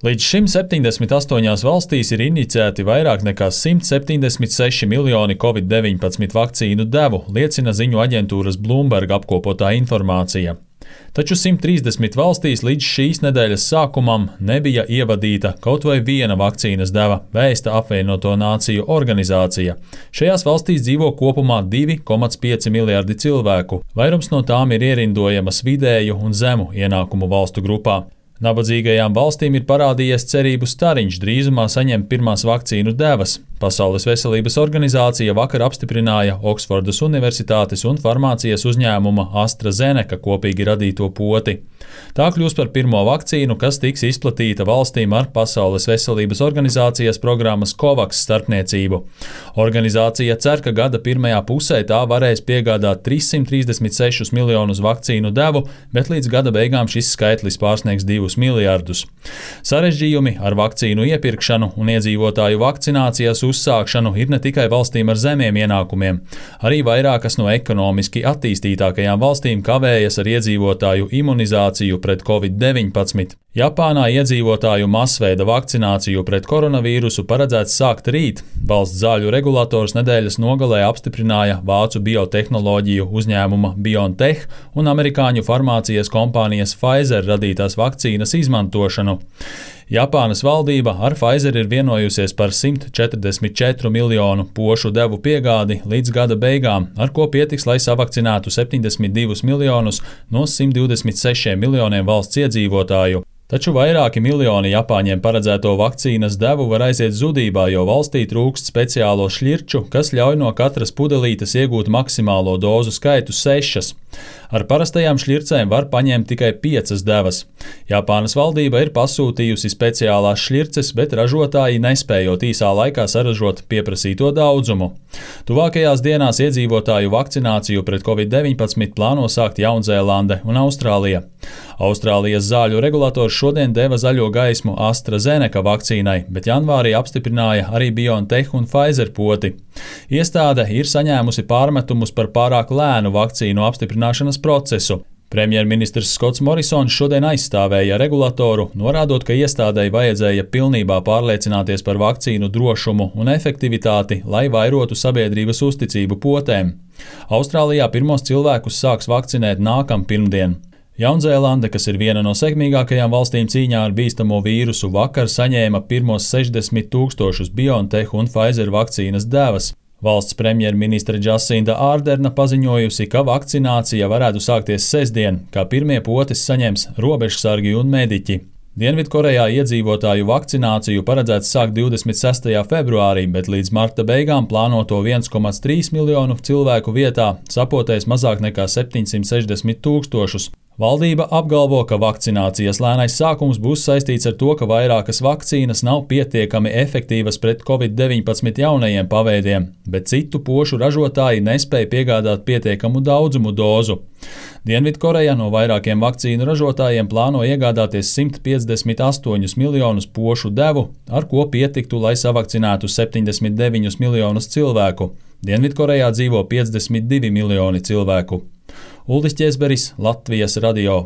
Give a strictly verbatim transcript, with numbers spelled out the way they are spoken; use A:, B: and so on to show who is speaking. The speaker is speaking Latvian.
A: Līdz šim septiņdesmit astoņās valstīs ir injicēti vairāk nekā simt septiņdesmit seši miljoni covid deviņpadsmit vakcīnu devu, liecina ziņu aģentūras Bloomberg apkopotā informācija. Taču simt trīsdesmit valstīs līdz šīs nedēļas sākumam nebija ievadīta kaut vai viena vakcīnas deva, vēsta apvienoto nāciju organizācija. Šajās valstīs dzīvo kopumā divi komats pieci miljardi cilvēku. Vairums no tām ir ierindojamas vidēju un zemu ienākumu valstu grupā. Nabadzīgajām valstīm ir parādījies cerību stariņš drīzumā saņemt pirmās vakcīnu devas. Pasaules veselības organizācija vakar apstiprināja Oksfordas Universitātes un farmācijas uzņēmuma AstraZeneca kopīgi radīto poti. Tā kļūs par pirmo vakcīnu, kas tiks izplatīta valstīm ar Pasaules veselības organizācijas programmas COVAX starpniecību. Organizācija cer, ka gada pirmajā pusē tā varēs piegādāt trīssimt trīsdesmit sešus miljonus vakcīnu devu, bet līdz gada beigām šis skaitlis pārsniegs divus miljardus. Sarežģījumi ar vakcīnu iepirkšanu un iedzīvotāju vakcinācijas uzsākšanu ir ne tikai valstīm ar zemiem ienākumiem. Arī vairākas no ekonomiski attīstītākajām valstīm kavējas ar iedzīvotāju imunizāciju pret covid deviņpadsmit. Japānā iedzīvotāju masveida vakcināciju pret koronavīrusu paredzēts sākt rīt. Valsts zāļu regulators nedēļas nogalē apstiprināja vācu biotehnoloģiju uzņēmuma BioNTech un amerikāņu farmācijas kompānijas Pfizer radītās vakcīnas izmantošanu. Japānas valdība ar Pfizer ir vienojusies par simt četrdesmit četru miljonu pošu devu piegādi līdz gada beigām, ar ko pietiks, lai savakcinētu septiņdesmit divus miljonus no simt divdesmit sešiem miljoniem valsts iedzīvotāju. Taču vairāki miljoni Japāņiem paredzēto vakcīnas devu var aiziet zudībā, jo valstī trūkst speciālo šļirču, kas ļauj no katras pudelītes iegūt maksimālo dozu skaitu sešas. Ar parastajām šļircēm var paņemt tikai piecas devas. Japānas valdība ir pasūtījusi speciālās šļirces, bet ražotāji nespējot īsā laikā saražot pieprasīto daudzumu. Tuvākajās dienās iedzīvotāju vakcināciju pret covid deviņpadsmit plāno sākt Jaunzēlande un Austrālija. Austrālijas zāļu regulators šodien deva zaļo gaismu AstraZeneca vakcīnai, bet janvārī apstiprināja arī BioNTech un Pfizer poti. Iestāde ir saņēmusi pārmetumus par pārāk lēnu vakcīnu apstiprināšanas procesu. Premjerministrs Skots Morisons šodien aizstāvēja regulatoru, norādot, ka iestādei vajadzēja pilnībā pārliecināties par vakcīnu drošumu un efektivitāti, lai vairotu sabiedrības uzticību potēm. Austrālijā pirmos cilvēkus sāks vakcinēt nākam pirmdien. Jaunzēlande, kas ir viena no sekmīgākajām valstīm cīņā ar bīstamo vīrusu, vakar saņēma pirmos sešdesmit tūkstošus BioNTech un Pfizer vakcīnas devas. Valsts premjerministre Džasinda Ārderna paziņojusi, ka vakcinācija varētu sākties sestdien, kā pirmie potes saņems robežsargi un mediķi. Dienvidkorejā iedzīvotāju vakcināciju paredzēts sākt divdesmit sestajā februārī, bet līdz marta beigām plānoto viens komats trīs miljonu cilvēku vietā sapotēs mazāk nekā septiņsimt sešdesmit tūkstošus. Valdība apgalvo, ka vakcinācijas lēnais sākums būs saistīts ar to, ka vairākas vakcīnas nav pietiekami efektīvas pret covid deviņpadsmit jaunajiem paveidiem, bet citu pošu ražotāji nespēja piegādāt pietiekamu daudzumu dozu. Dienvidkoreja no vairākiem vakcīnu ražotājiem plāno iegādāties simt piecdesmit astoņus miljonus pošu devu, ar ko pietiktu, lai savakcinētu septiņdesmit deviņus miljonus cilvēku. Dienvidkorejā dzīvo piecdesmit divi miljoni cilvēku. Uldis Ķēzberis, Latvijas radio.